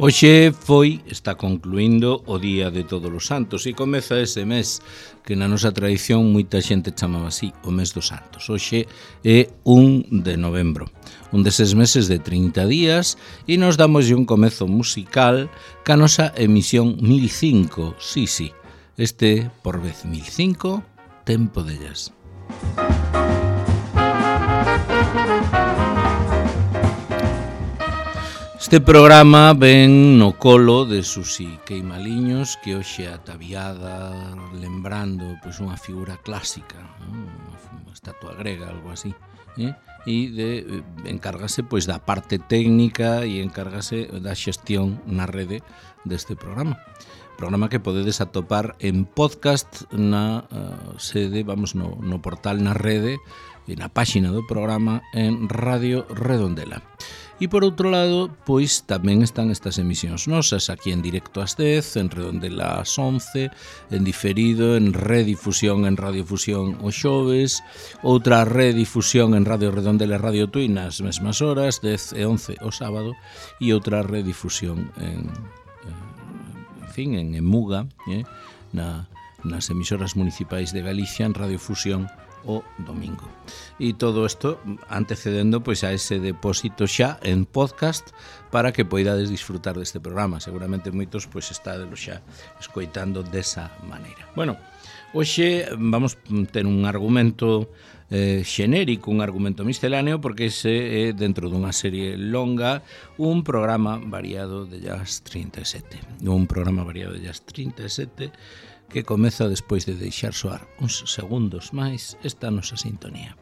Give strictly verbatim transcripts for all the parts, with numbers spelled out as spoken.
Hoxe foi, está concluindo o Día de Todos os Santos e comeza ese mes que na nosa tradición moita xente chamaba así, o mes dos Santos. Hoxe é un de novembro, un deses meses de trinta días e nos damos un comezo musical ca nosa emisión mil cinco, sí, sí, este por vez mil cinco, Tempo de Jazz. Este programa ven no colo de Susi Queimaliños, que hoxe ataviada lembrando pois, unha figura clásica, unha estatua grega, algo así, eh? e de, encárgase pois, da parte técnica e encárgase da xestión na rede deste programa. Programa que podedes atopar en podcast na uh, sede, vamos, no, no portal na rede e na páxina do programa en Radio Redondela. E por outro lado, pois tamén están estas emisións nosas aquí en directo ás dez, en Redondela ás once, en diferido, en redifusión en Radiofusión os xoves, outra redifusión en Radio Redondela e Radio Tui nas mesmas horas, dez e once o sábado, e outra redifusión en, en fin, en Emuga, eh, na, nas emisoras municipais de Galicia, en Radiofusión o domingo. E todo isto antecedendo pois a ese depósito xa en podcast para que poidades disfrutar deste programa. Seguramente moitos pois estádelo xa escoitando desa maneira. Bueno, hoxe vamos ter un argumento eh, xenérico, un argumento misceláneo, porque ese é dentro dunha serie longa un programa variado de Jazz trinta e sete. Un programa variado de Jazz trinta e sete que comeza despois de deixar soar uns segundos máis esta nosa sintonía.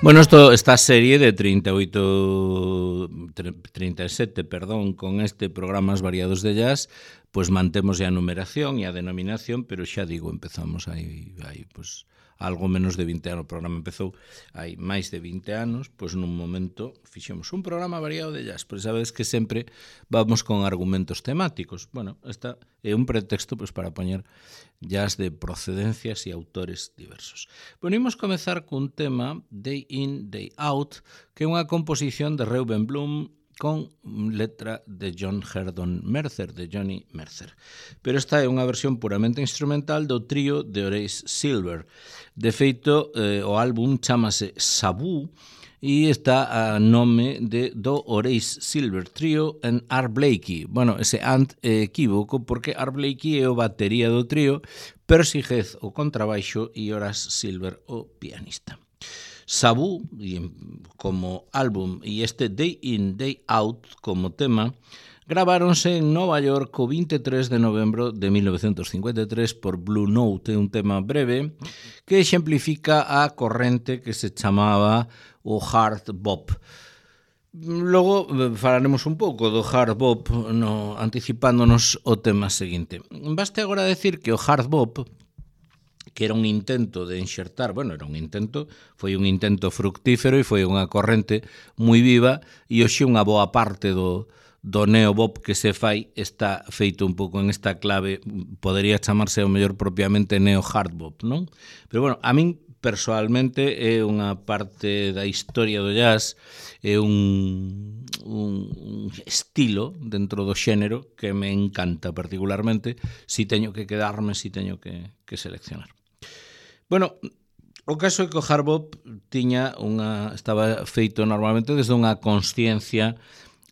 Bueno, esto, esta serie de trinta e oito, trinta e sete, perdón, con este programas variados de jazz, pues mantemos a numeración e a denominación, pero xa digo, empezamos aí, aí pues, algo menos de vinte anos. O programa empezou hai máis de vinte anos, pois nun momento fixemos un programa variado de jazz, pois sabedes que sempre vamos con argumentos temáticos. Bueno, esta é un pretexto pois, para poñer jazz de procedencias e autores diversos. Bueno, imos comezar cun tema Day In, Day Out, que é unha composición de Reuben Bloom con letra de John Herdon Mercer, de Johnny Mercer. Pero esta é unha versión puramente instrumental do trío de Horace Silver. De feito, eh, o álbum chamase Sabu e está a nome de do Horace Silver Trio en Art Blakey. Bueno, ese ant é equívoco porque Art Blakey é o batería do trío, Percy Heath o contrabaixo e Horace Silver o pianista. Sabu como álbum e este Day In, Day Out como tema graváronse en Nova York o vinte e tres de novembro de mil novecientos cincuenta e tres por Blue Note, un tema breve que exemplifica a corrente que se chamaba o hard bop. Logo falaremos un pouco do hard bop no, anticipándonos o tema seguinte. Baste agora decir que o hard bop, que era un intento de enxertar, bueno, era un intento, foi un intento fructífero e foi unha corrente moi viva e hoxe unha boa parte do, do neobop que se fai está feito un pouco en esta clave, podería chamarse ao mellor propiamente neo-hardbop, non? Pero bueno, a min persoalmente é unha parte da historia do jazz, é un, un estilo dentro do xénero que me encanta particularmente, si teño que quedarme, si teño que, que seleccionar. Bueno, o caso é que o hard bop tiña unha, estaba feito normalmente desde unha consciencia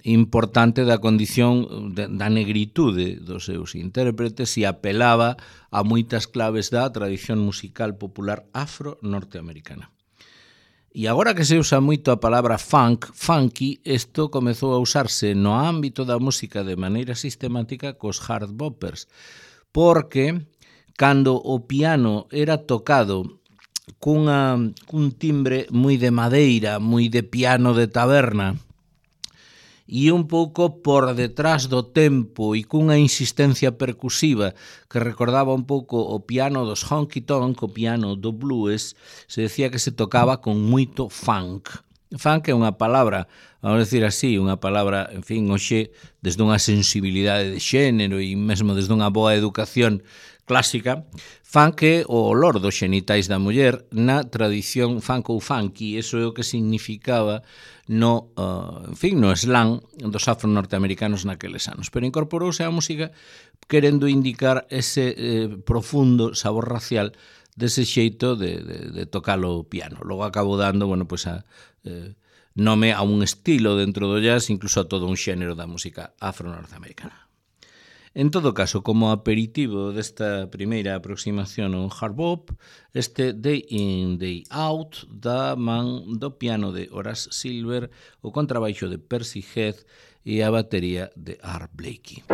importante da condición de, da negritude dos seus intérpretes e apelaba a moitas claves da tradición musical popular afro-norteamericana. E agora que se usa moito a palabra funk, funky, isto comezou a usarse no ámbito da música de maneira sistemática cos hard boppers, porque cando o piano era tocado cunha, cun timbre moi de madeira, moi de piano de taberna, e un pouco por detrás do tempo e cunha insistencia percusiva que recordaba un pouco o piano dos honky-tonk, o piano do blues, se decía que se tocaba con moito funk. Funk é unha palabra, vamos a decir así, unha palabra, en fin, hoxe, desde unha sensibilidade de xénero e mesmo desde unha boa educación clásica, fan que o olor dos xenitais da muller na tradición funk ou funky, eso é o que significaba no, uh, en fin, no slang dos afro-norteamericanos naqueles anos. Pero incorporouse á música querendo indicar ese eh, profundo sabor racial dese xeito de, de, de tocar o piano. Logo acabou dando, bueno, pues a, eh, nome a un estilo dentro do jazz, incluso a todo un xénero da música afro-norteamericana. En todo caso, como aperitivo desta primeira aproximación ao hard bop, este Day In, Day Out da man do piano de Horace Silver, o contrabaixo de Percy Heath e a batería de Art Blakey.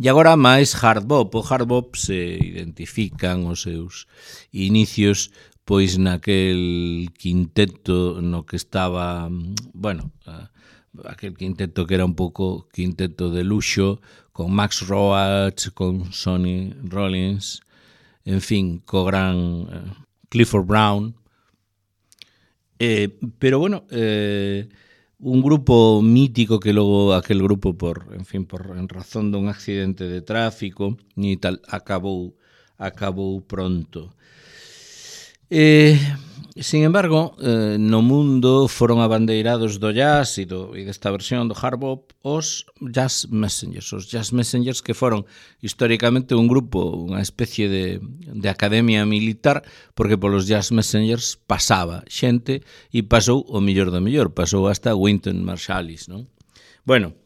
E agora máis hard bop. O hard bop se identifican os seus inicios pois naquel quinteto no que estaba, bueno, aquel quinteto que era un pouco quinteto de luxo, con Max Roach, con Sonny Rollins, en fin, co gran eh, Clifford Brown. Eh, pero bueno, eh, un grupo mítico que logo aquel grupo por, en fin, por en razón dun accidente de tráfico e tal, acabou acabou pronto. Eh, sin embargo, eh, no mundo foron abandeirados do jazz e, do, e desta versión do hard bop os Jazz Messengers, os Jazz Messengers que foron históricamente un grupo, unha especie de, de academia militar, porque polos Jazz Messengers pasaba xente e pasou o mellor do mellor, pasou hasta Wynton Marsalis, non? Bueno,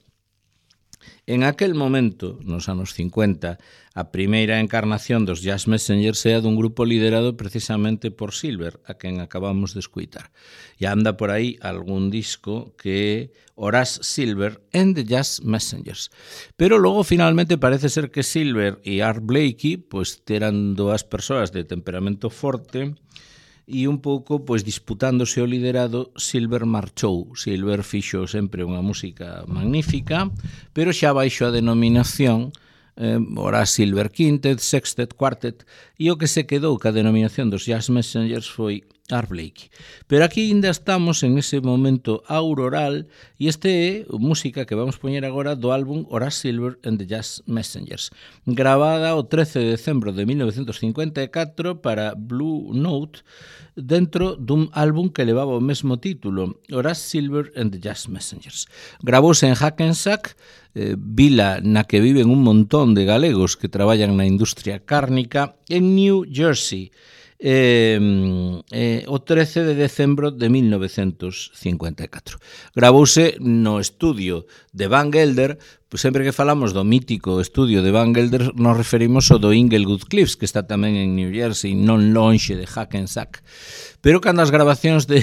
En aquel momento, nos anos cincuenta, a primeira encarnación dos Jazz Messengers é a dun grupo liderado precisamente por Silver, a quen acabamos de escuitar. E anda por aí algún disco que é Horace Silver and the Jazz Messengers. Pero logo finalmente parece ser que Silver e Art Blakey pois eran dúas persoas de temperamento forte e un pouco pois disputándose o liderado. Silver marchou. Silver fixo sempre unha música magnífica, pero xa baixo a denominación eh, Horace Silver Quintet, Sextet, Quartet, e o que se quedou ca denominación dos Jazz Messengers foi Art Blakey. Pero aquí ainda estamos en ese momento auroral e este é música que vamos poñer agora do álbum Horace Silver and the Jazz Messengers, gravada o trece de decembro de mil novecientos cincuenta e catro para Blue Note, dentro dun álbum que levaba o mesmo título, Horace Silver and the Jazz Messengers. Gravouse en Hackensack, eh, vila na que viven un montón de galegos que traballan na industria cárnica, en New Jersey, eh, eh, o trece de decembro de mil novecientos cincuenta e catro. Gravouse no estudio de Van Gelder. Pois sempre que falamos do mítico estudio de Van Gelder nos referimos ao do Inglewood Cliffs, que está tamén en New Jersey, non lonxe de Hackensack. Pero cando as grabacións de,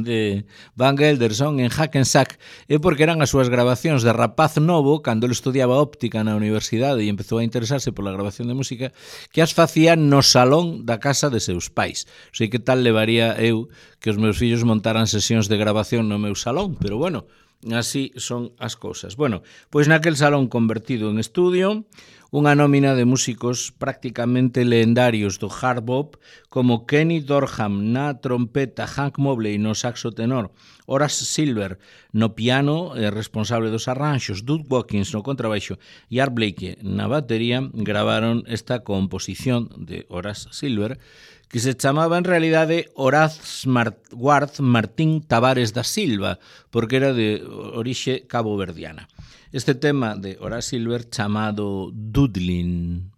de Van Gelder son en Hackensack é porque eran as súas grabacións de rapaz novo, cando ele estudiaba óptica na universidade e empezou a interesarse pola grabación de música, que as facía no salón da casa de seus pais. Sei que tal levaría eu que os meus fillos montaran sesións de grabación no meu salón, pero bueno, así son as cousas. Bueno, pois naquel salón convertido en estudio, unha nómina de músicos prácticamente leendarios do hard bop, como Kenny Dorham na trompeta, Hank Mobley no saxo tenor, Horace Silver no piano, eh, responsable dos arranxos, Duke Watkins no contrabaixo e Art Blakey na batería, gravaron esta composición de Horace Silver, que se chamaba en realidade Horace Ward Martín Tavares da Silva, porque era de orixe caboverdiana. Este tema de Horace Silver chamado Doodlin.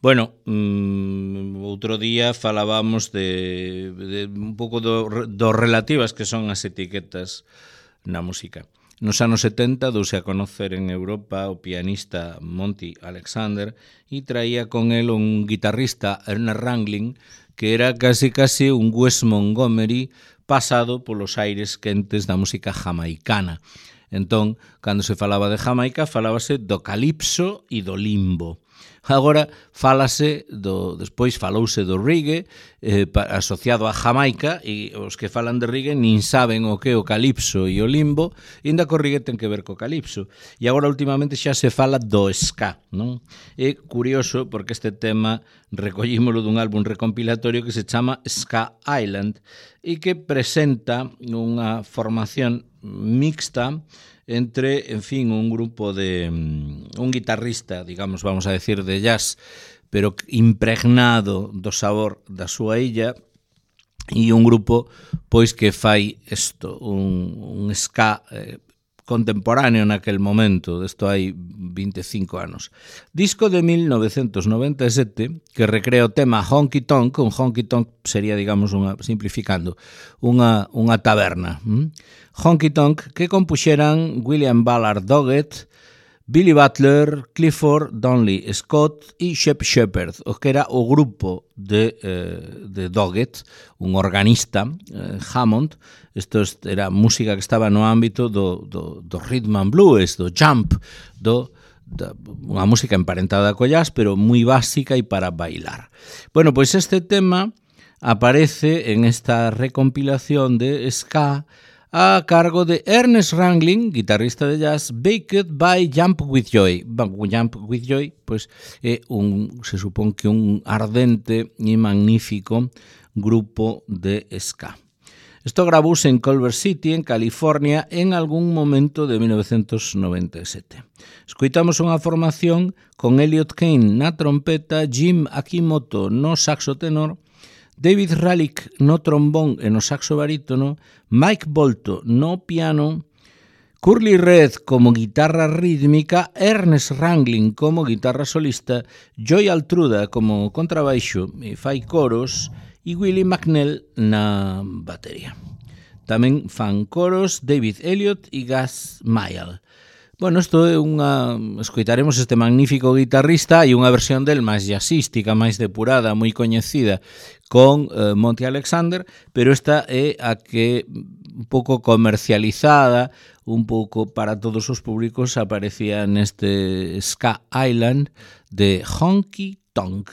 Bueno, mm, outro día falábamos de, de un pouco do, do relativas que son as etiquetas na música. Nos anos setenta douse a conocer en Europa o pianista Monty Alexander e traía con el un guitarrista, Ernest Ranglin, que era casi casi un Wes Montgomery pasado polos aires quentes da música jamaicana. Entón, cando se falaba de Jamaica, falábase do calipso e do limbo. Agora falase do, despois falouse do reggae eh, asociado a Jamaica, e os que falan de reggae nin saben o que é o calipso e o limbo, e ainda co reggae ten que ver co calipso. E agora últimamente xa se fala do ska, non? É curioso porque este tema recollímolo dun álbum recompilatorio que se chama Ska Island e que presenta unha formación mixta entre, en fin, un grupo de un guitarrista, digamos, vamos a decir, de jazz, pero impregnado do sabor da súa illa, e un grupo pois que fai isto, un, un ska eh, contemporáneo naquel momento, desto hai vinte e cinco anos. Disco de mil novecentos noventa e sete que recrea o tema Honky Tonk. Un honky tonk sería, digamos, unha, simplificando, unha, unha taberna. ¿Mm? Honky Tonk que compuxeran William Ballard Doggett, Billy Butler, Clifford Donnelly Scott e Shep Shepherd, o que era o grupo de, eh, de Doggett, un organista, eh, Hammond. Isto era música que estaba no ámbito do, do, do rhythm and blues, do jump, do, da, unha música emparentada co jazz, pero moi básica e para bailar. Bueno, pois este tema aparece en esta recompilación de ska a cargo de Ernest Ranglin, guitarrista de jazz, backed by Jump With Joy. Jump With Joy, pois, é un, se supón que un ardente e magnífico grupo de ska. Isto gravouse en Culver City, en California, en algún momento de mil novecentos noventa e sete. Escoitamos unha formación con Elliot Kane na trompeta, Jim Akimoto no saxo tenor, David Ralick no trombón e no saxo barítono, Mike Bolto no piano, Curly Red como guitarra rítmica, Ernest Ranglin como guitarra solista, Joy Altruda como contrabaixo e fai coros, e Willie McNell na batería. Tamén fan coros David Elliott e Gus Mayall. Bueno, isto é unha... Escoitaremos este magnífico guitarrista e unha versión del máis jazzística, máis depurada, moi coñecida, con eh, Monty Alexander, pero esta é a que un pouco comercializada, un pouco para todos os públicos, aparecía neste Ska Island de Honky Tonk.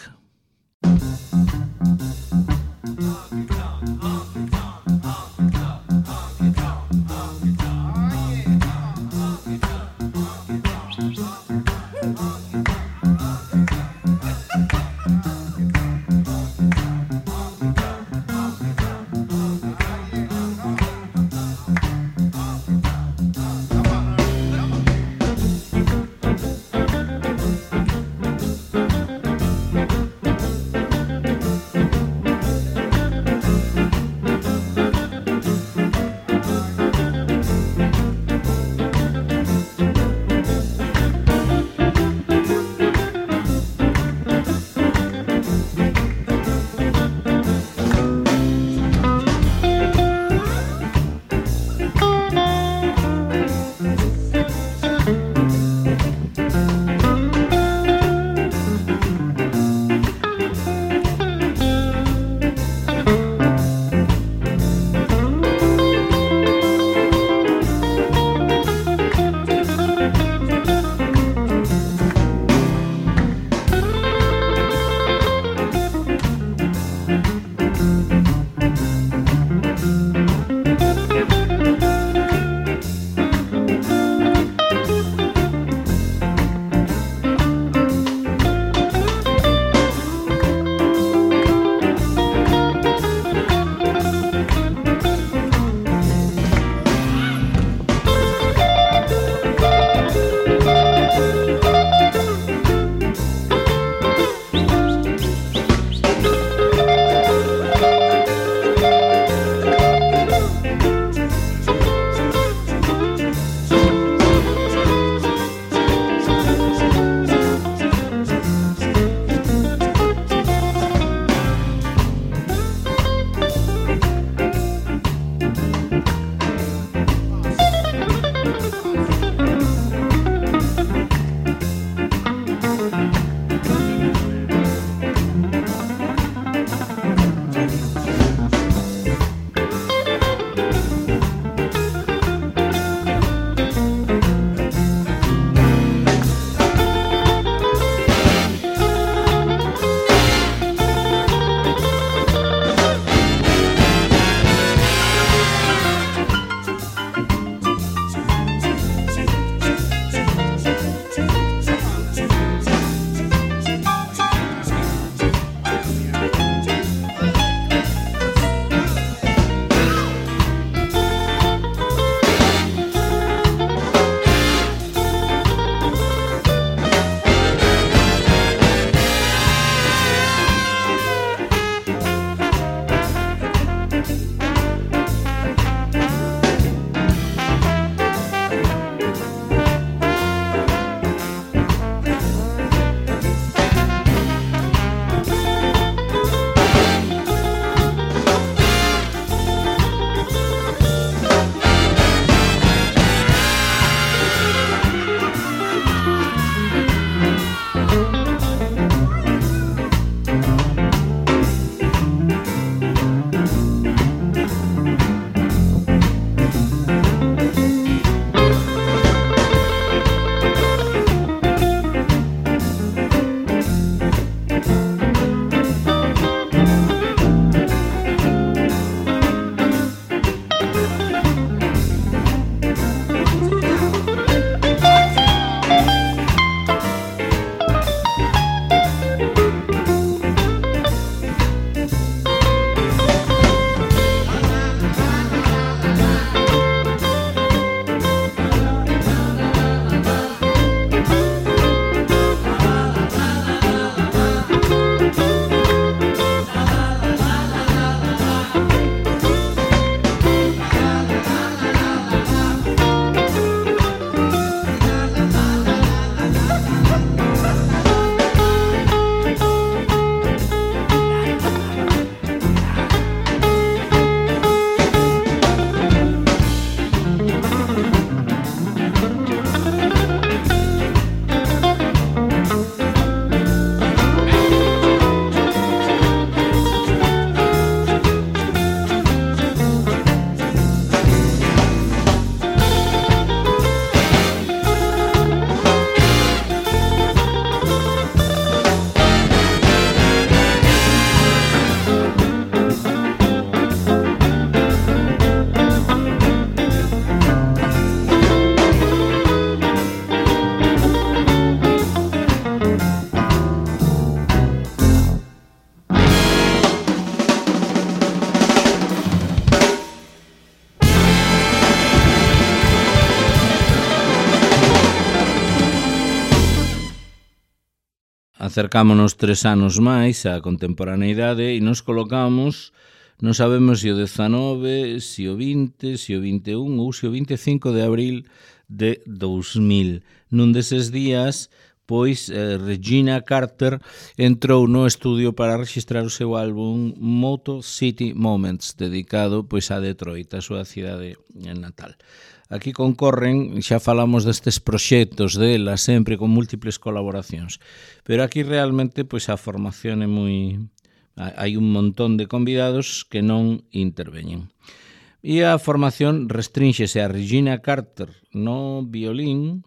acercámonos tres anos máis á contemporaneidade e nos colocamos, non sabemos se o dezanove, se o vinte, se o vinte e un ou se o vinte e cinco de abril de dous mil. Nun deses días, pois eh, Regina Carter entrou no estudio para registrar o seu álbum Motor City Moments, dedicado pois a Detroit, a súa cidade natal. Aquí concorren, xa falamos destes proxectos dela, sempre con múltiples colaboracións, pero aquí realmente pois a formación é moi... hai un montón de convidados que non interveñen. E a formación restrínxese a Regina Carter no violín,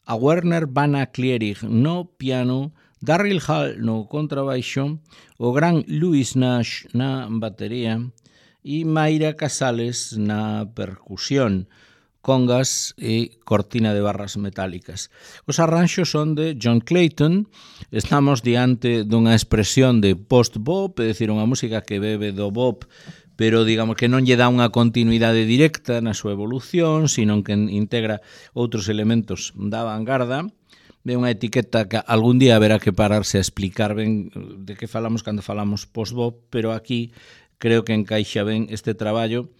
a Werner Van Klierig no piano, Darryl Hall no contrabaixo, o gran Louis Nash na batería e Mayra Casales na percusión, congas e cortina de barras metálicas. Os arranxos son de John Clayton. Estamos diante dunha expresión de post-bop, é dicir, unha música que bebe do bop, pero digamos que non lle dá unha continuidade directa na súa evolución, sino que integra outros elementos da vanguarda. É unha etiqueta que algún día haberá que pararse a explicar ben de que falamos cando falamos post-bop, pero aquí creo que encaixa ben este traballo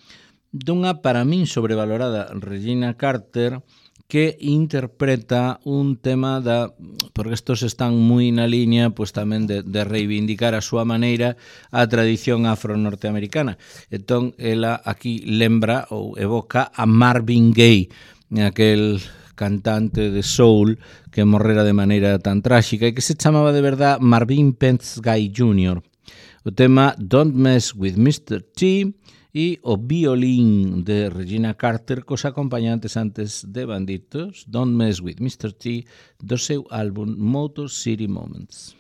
dunha, para min, sobrevalorada Regina Carter, que interpreta un tema da, porque estos están moi na liña pois tamén de, de reivindicar a súa maneira a tradición afro-norteamericana. Entón, ela aquí lembra ou evoca a Marvin Gaye, aquel cantante de soul que morrera de maneira tan tráxica e que se chamaba de verdad Marvin Pentz Gay júnior O tema Don't Mess with mister T e o violín de Regina Carter cos acompañantes antes de Banditos, Don't Mess with mister T, do seu álbum Motor City Moments.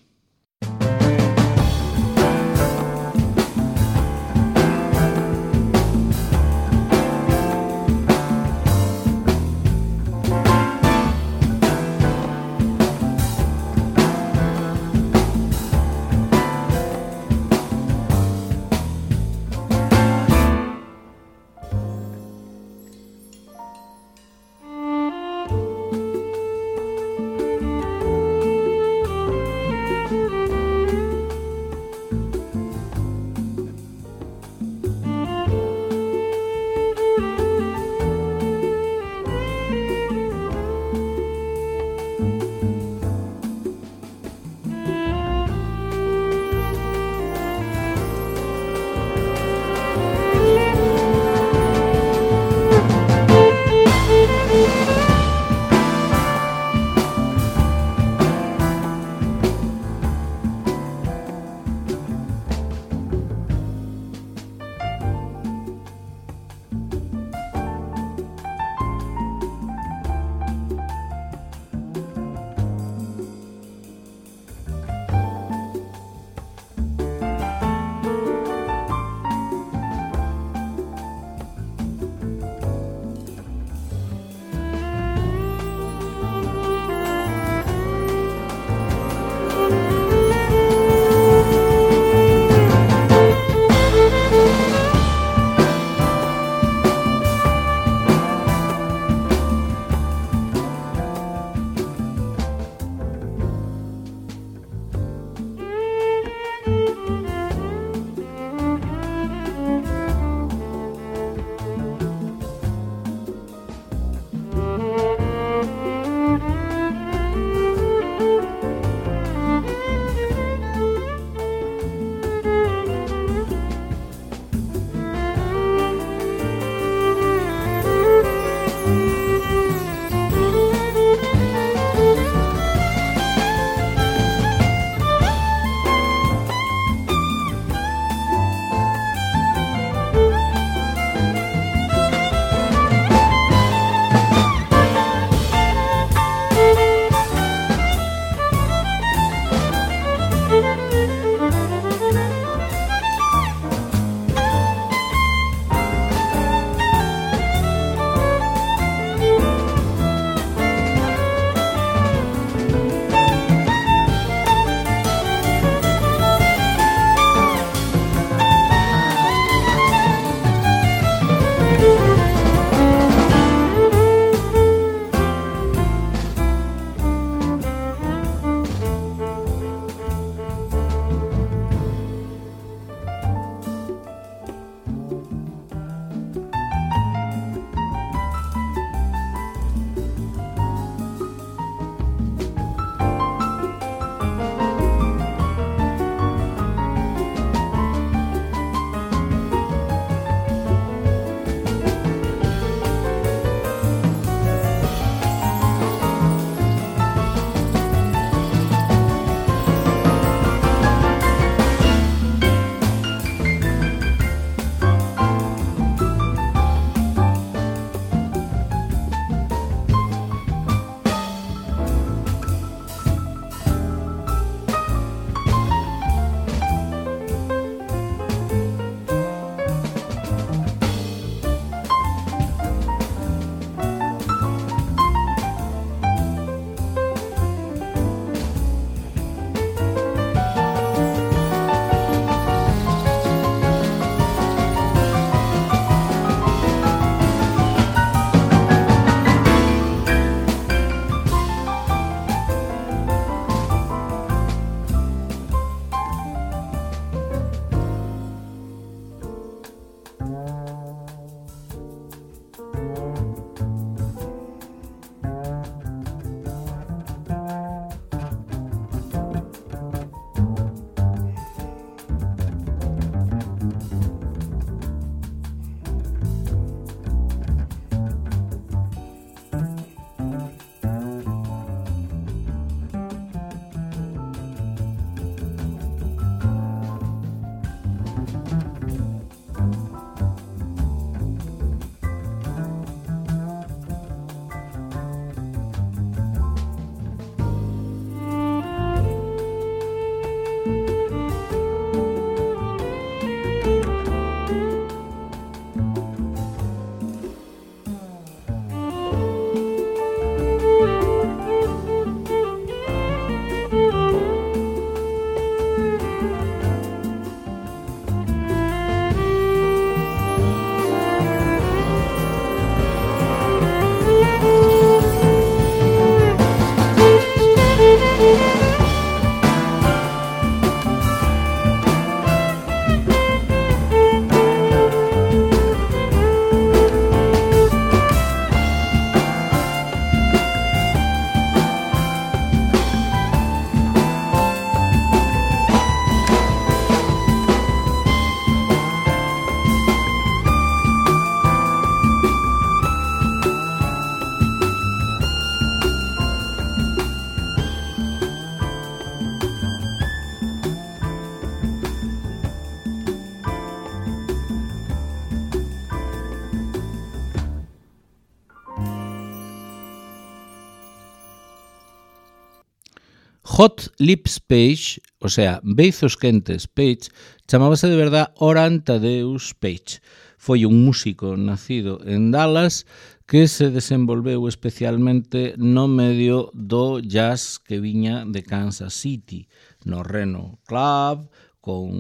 Hot Lips Page, o sea, beizos quentes Page, chamábase de verdad Oran Thaddeus Page. Foi un músico nacido en Dallas que se desenvolveu especialmente no medio do jazz que viña de Kansas City, no Reno Club, con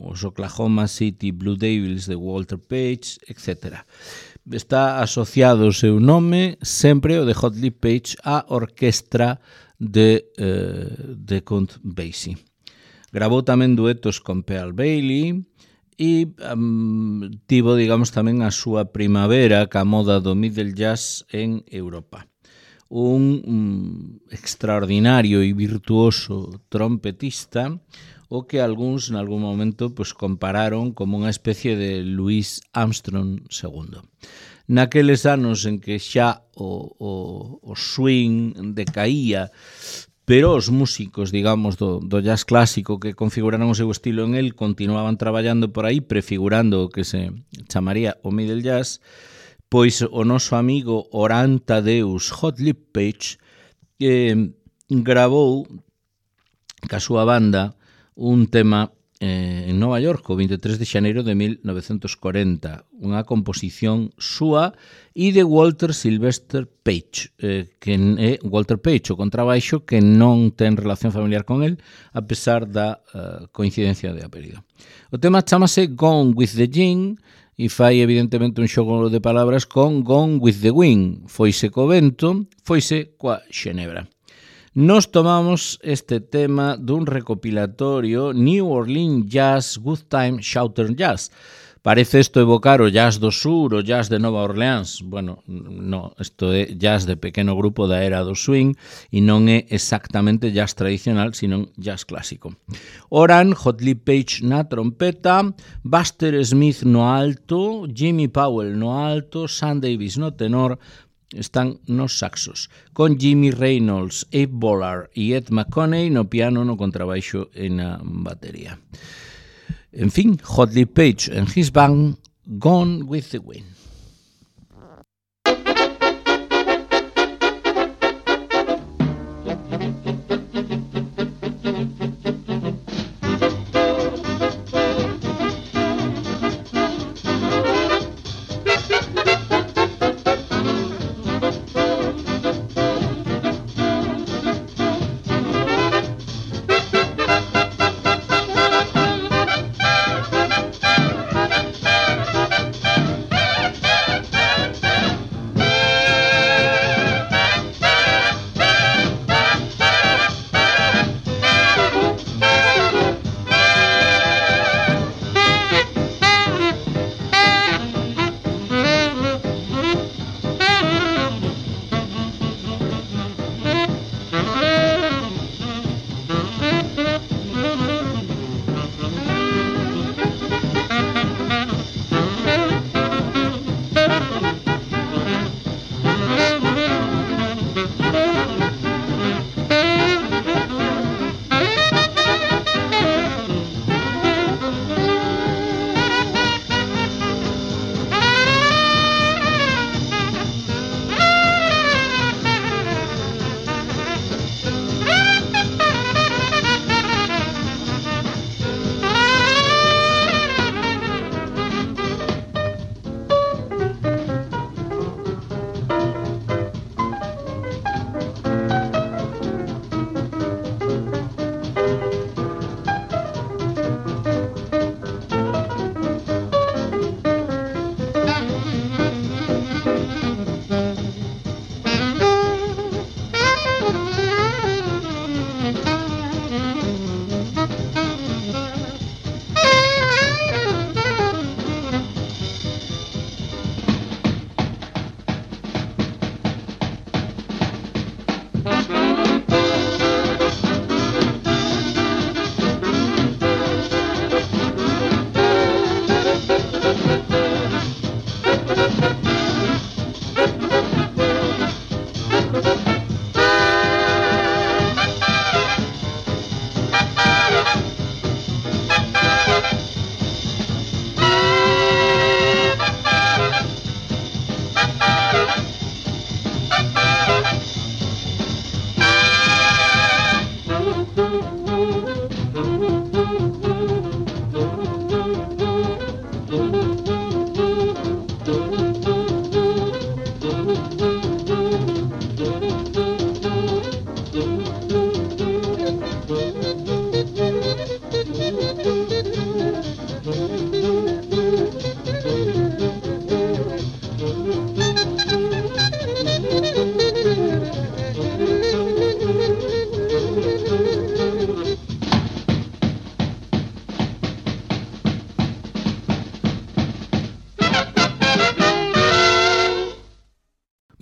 os Oklahoma City Blue Devils de Walter Page, etcétera. Está asociado o seu nome, sempre o de Hot Lips Page, á orquestra de, eh, de Count Basie. Gravou tamén duetos con Pearl Bailey e um, tivo, digamos, tamén a súa primavera ca moda do middle jazz en Europa. Un um, extraordinario e virtuoso trompetista o que algúns, en algún momento, pues, compararon como unha especie de Louis Armstrong segundo. Naqueles anos en que xa o, o, o swing decaía, pero os músicos, digamos, do, do jazz clásico que configuraron o seu estilo en el continuaban traballando por aí, prefigurando o que se chamaría o middle jazz, pois o noso amigo Oran Thaddeus Hot Lips Page eh, gravou ca súa banda un tema eh, en Nova York o veintitrés de xaneiro de mil novecentos cuarenta, unha composición súa e de Walter Sylvester Page, eh, que é Walter Page, o contrabaixo, que non ten relación familiar con el, a pesar da uh, coincidencia de apelido. O tema chamase Gone with the Gin e fai evidentemente un xogo de palabras con Gone with the Wind, foise co vento, foise coa xenebra. Nos tomamos este tema dun recopilatorio New Orleans Jazz, Good Time, Southern Jazz. Parece isto evocar o jazz do sur, o jazz de Nova Orleans. Bueno, no, isto é jazz de pequeno grupo da era do swing e non é exactamente jazz tradicional, sino jazz clásico. Oran, Hot Lips Page na trompeta, Buster Smith no alto, Jimmy Powell no alto, Sam Davis no tenor, están nos saxos, con Jimmy Reynolds, Abe Bollard e Ed McConaughey no piano, no contrabaixo e na batería. En fin, Hot Lips Page and his band, Gone with the Wind.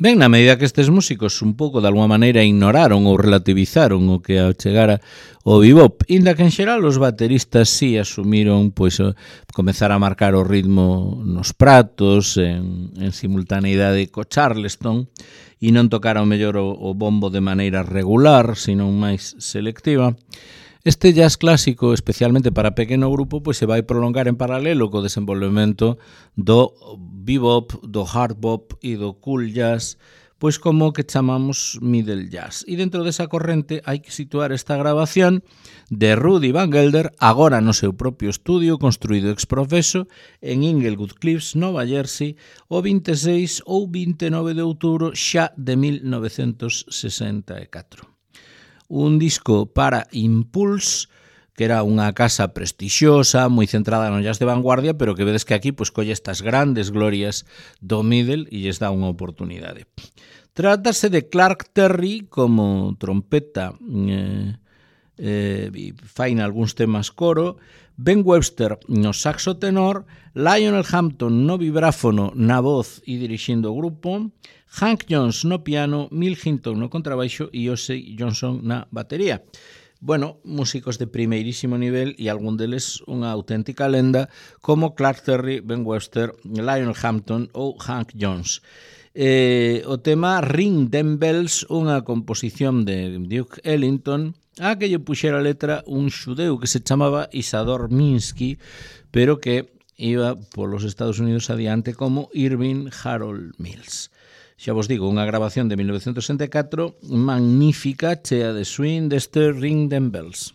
Ben, na medida que estes músicos un pouco de alguma maneira ignoraron ou relativizaron o que chegara o bebop, inda que en xeral os bateristas sí asumiron pois comezar a marcar o ritmo nos pratos en, en simultaneidade co Charleston e non tocar ao mellor o, o bombo de maneira regular, sino máis selectiva. Este jazz clásico, especialmente para pequeno grupo, pois se vai prolongar en paralelo co desenvolvemento do bebop, do hard bop e do cool jazz, pois como que chamamos middle jazz. E dentro desa corrente hai que situar esta grabación de Rudy Van Gelder, agora no seu propio estudio, construído ex profeso en Inglewood Cliffs, Nova Jersey, o vinte e seis ou vinte e nove de outubro xa de mil novecentos sesenta e catro. Un disco para Impulse, que era unha casa prestixiosa, moi centrada no jazz de vanguardia, pero que vedes que aquí pois colle estas grandes glorias do middle e lles dá unha oportunidade. Trátase de Clark Terry como trompeta, eh, eh, fai algúns temas coro, Ben Webster no saxo tenor, Lionel Hampton no vibráfono, na voz e dirixindo o grupo, Hank Jones no piano, Mill Hinton no contrabaixo e Ossie Johnson na batería. Bueno, músicos de primeirísimo nivel e algún deles unha auténtica lenda como Clark Terry, Ben Webster, Lionel Hampton ou Hank Jones. Eh, o tema Ring Them Bells, unha composición de Duke Ellington, a que lle puxera a letra un xudeu que se chamaba Isador Minsky, pero que iba polos Estados Unidos adiante como Irving Harold Mills. Xa vos digo, unha grabación de mil novecentos sesenta e catro magnífica, chea de swing deste Ring Them Bells.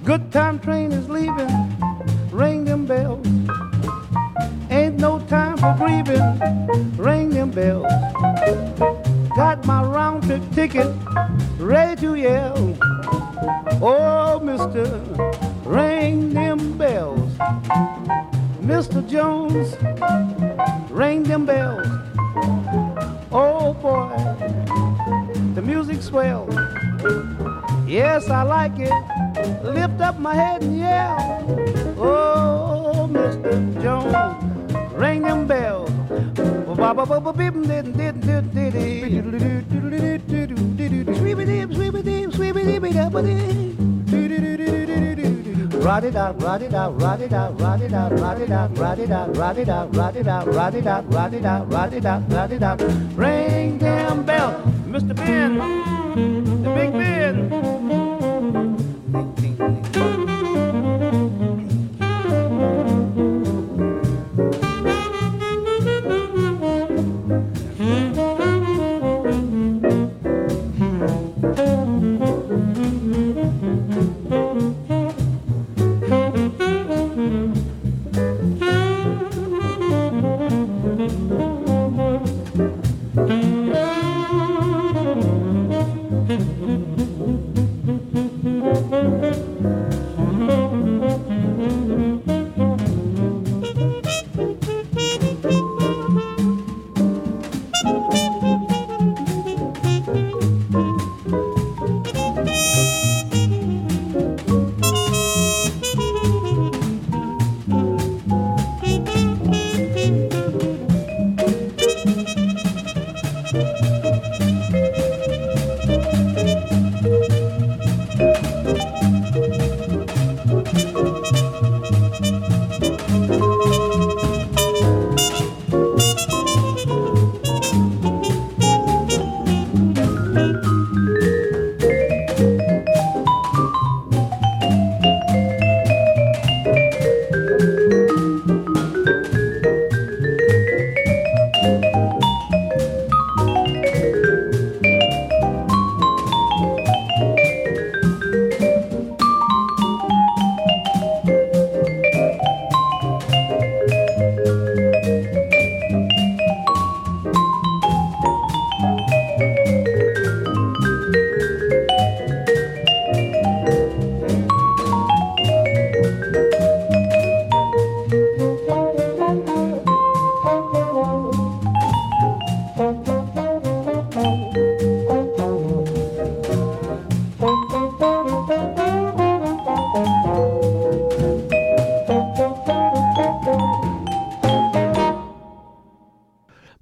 Good time train is leaving, ring them bells. Ain't no time for grieving, ring them bells. Got my round trip ticket, ready to yell. Oh, mister, ring them bells. Mister Jones, ring them bells. Oh boy, the music swells. Yes, I like it. Lift up my head and yell. Oh, Mister Jones, ring them bells. Rot it out, rot it out, rot it out, rot it out, rot it out, rot it out, rot it out, rot it out, rot it out, rot it out, rot it out, rot it out. Ring them bells, Mister Ben, the Big Ben. Mm-hmm.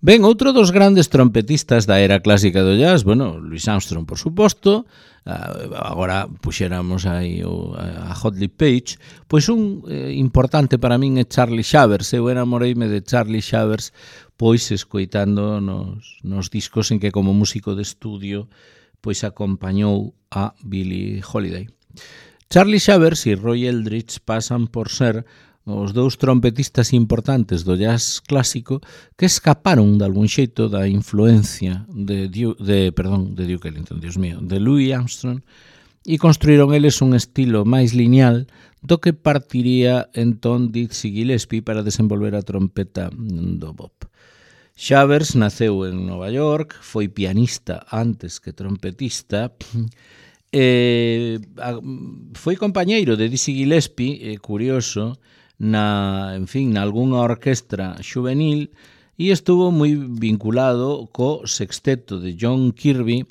Ben, outro dos grandes trompetistas da era clásica do jazz, bueno, Louis Armstrong, por suposto, agora puxéramos aí o, a Hot Lip Page, pois un eh, importante para min é Charlie Shavers. Eu enamoreime de Charlie Shavers pois escoitando nos, nos discos en que como músico de estudio pois acompañou a Billie Holiday. Charlie Shavers e Roy Eldridge pasan por ser os dous trompetistas importantes do jazz clásico que escaparon de algún xeito da influencia de, de, perdón, de Duke Ellington, Dios mío, de Louis Armstrong, e construíron eles un estilo máis lineal do que partiría entón Dizzy Gillespie para desenvolver a trompeta do bop. Shavers naceu en Nova York, foi pianista antes que trompetista, e foi compañeiro de Dizzy Gillespie, é curioso, na, en fin, na algunha orquestra juvenil, e estuvo moi vinculado co sexteto de John Kirby,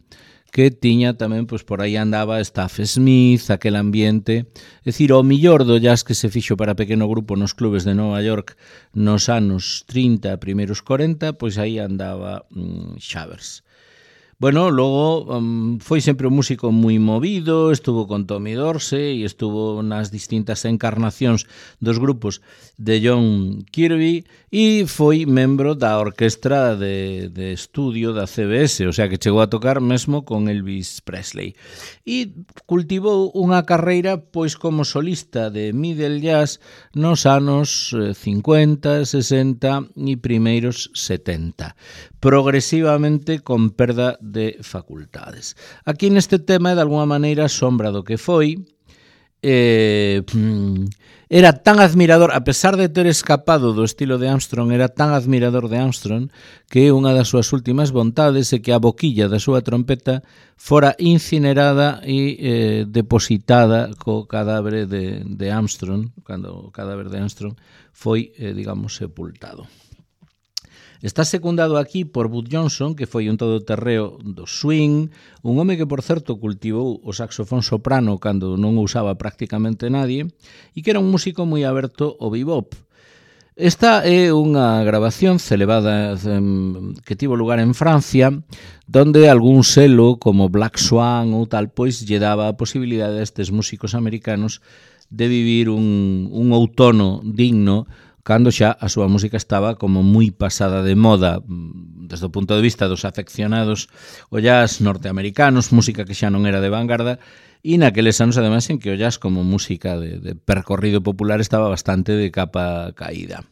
que tiña tamén, pois por aí andaba Staff Smith, aquel ambiente, é dicir, o millor do jazz que se fixo para pequeno grupo nos clubes de Nova York nos anos trinta, primeiros corenta, pois aí andaba mm, Shavers. Bueno, logo um, foi sempre un músico moi movido, estuvo con Tommy Dorsey e estuvo nas distintas encarnacións dos grupos de John Kirby e foi membro da orquestra de, de estudio da C B S, o sea que chegou a tocar mesmo con Elvis Presley. E cultivou unha carreira pois como solista de middle jazz nos anos cincuenta, sesenta e primeiros setenta, progresivamente con perda de facultades. Aquí neste tema é de alguna maneira sombra do que foi. Eh, era tan admirador, a pesar de ter escapado do estilo de Armstrong, era tan admirador de Armstrong que unha das súas últimas vontades é que a boquilla da súa trompeta fora incinerada e eh, depositada co cadáver de, de Armstrong, cando o cadáver de Armstrong foi, eh, digamos, sepultado. Está secundado aquí por Bud Johnson, que foi un todoterreo do swing, un home que, por certo, cultivou o saxofón soprano cando non o usaba prácticamente nadie, e que era un músico moi aberto ao bebop. Esta é unha grabación celebrada que tivo lugar en Francia, donde algún selo como Black Swan ou tal, pois lle daba a posibilidade a estes músicos americanos de vivir un, un outono digno cando xa a súa música estaba como moi pasada de moda desde o punto de vista dos afeccionados o jazz norteamericanos, música que xa non era de vanguarda, e naqueles anos, ademais, en que o jazz como música de, de percorrido popular estaba bastante de capa caída.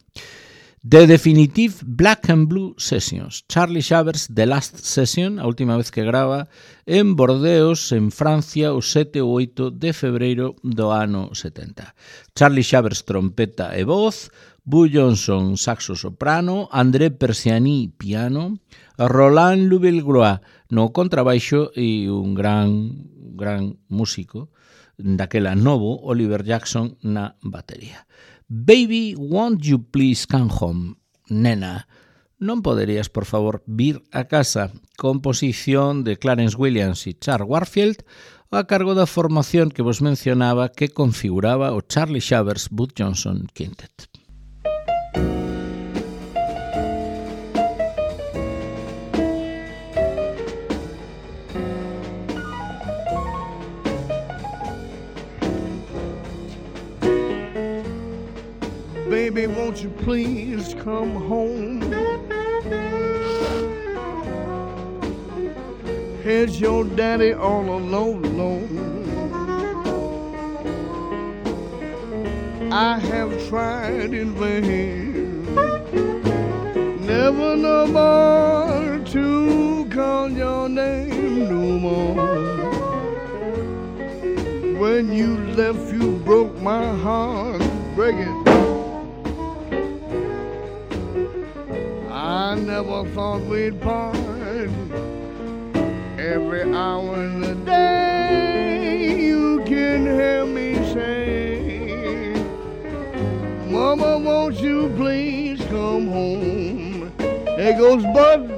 The Definitive Black and Blue Sessions, Charlie Shavers, The Last Session, a última vez que grava, en Bordeos, en Francia, o sete ou oito de febreiro do ano setenta. Charlie Shavers, trompeta e voz, Bud Johnson, saxo soprano, André Persiani, piano, Roland Louvelgrois no contrabaixo e un gran, gran músico daquela novo, Oliver Jackson, na batería. Baby, won't you please come home? Nena, non poderías, por favor, vir a casa? Composición de Clarence Williams e Charles Warfield a cargo da formación que vos mencionaba que configuraba o Charlie Shavers Bud Johnson Quintet. Baby, won't you please come home? Here's your daddy all alone, alone. I have tried in vain, never no more to call your name no more. When you left, you broke my heart, break it. I never thought we'd part. Every hour in the day you can hear me say, Mama, won't you please come home? There goes Bud.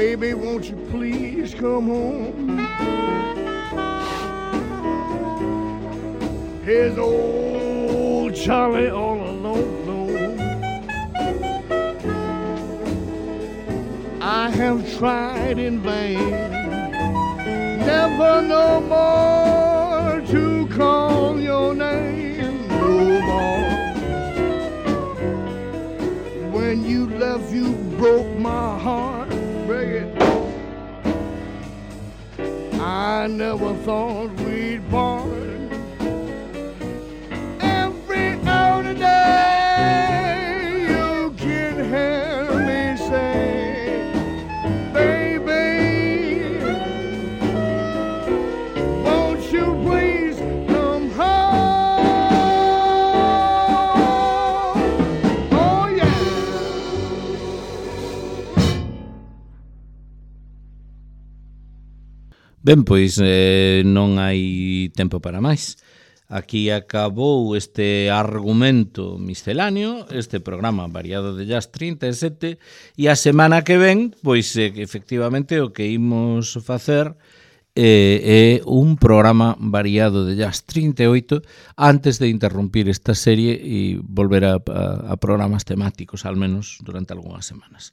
Baby, won't you please come home? Here's old Charlie all alone. I have tried in vain, never no more to call your name no more. When you left, you broke my heart, break it. I never thought we'd part. Every hour today, you can hear me say, baby, won't you please come home? Oh yeah. Ben, pois eh, non hai tempo para máis. Aquí acabou este argumento misceláneo, este programa variado de jazz trinta e sete, e a semana que ven, pois eh, efectivamente o que imos facer eh, é un programa variado de jazz trinta e oito antes de interrumpir esta serie e volver a, a, a programas temáticos, al menos durante algunhas semanas.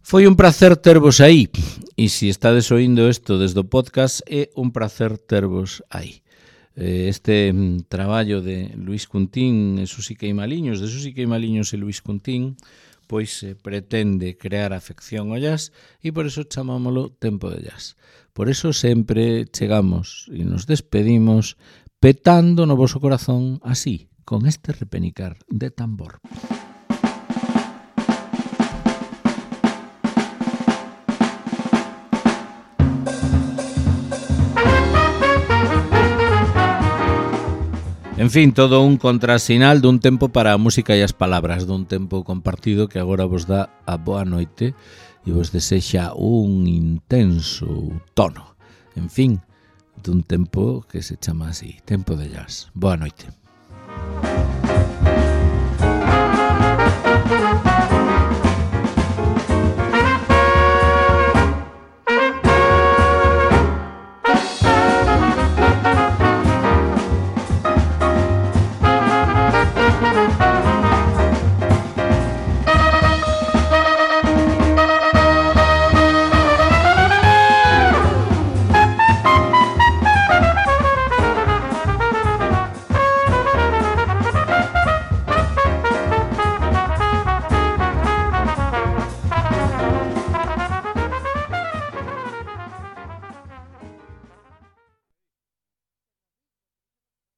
Foi un placer tervos aí, e se estades oindo isto desde o podcast, é un placer tervos aí. Este traballo de Luis Cuntín e Susi Queimaliños, de Susi Queimaliños e Luis Cuntín, pois eh, pretende crear afección ao jazz e por eso chamámolo Tempo de Jazz. Por eso sempre chegamos e nos despedimos petando no voso corazón así, con este repenicar de tambor. En fin, todo un contrasinal dun tempo para a música e as palabras, dun tempo compartido que agora vos dá a boa noite e vos desexa un intenso tono. En fin, dun tempo que se chama así, Tempo de Jazz. Boa noite.